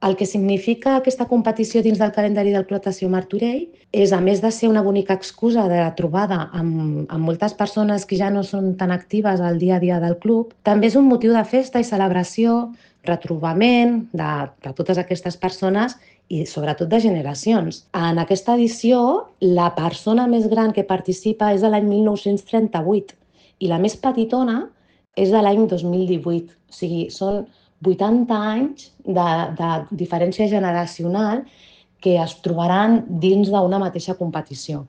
El que significa aquesta competició dins del calendari del Club Natació Martorell és, a més de ser una bonica excusa de trobada amb moltes persones que ja no són tan actives al dia a dia del club, també és un motiu de festa i celebració, retrobament de totes aquestes persones i sobretot de generacions. En aquesta edició, la persona més gran que participa és de l'any 1938 i la més petitona és de l'any 2018. O sigui, són 80 anys de diferència generacional que es trobaran dins d'una mateixa competició.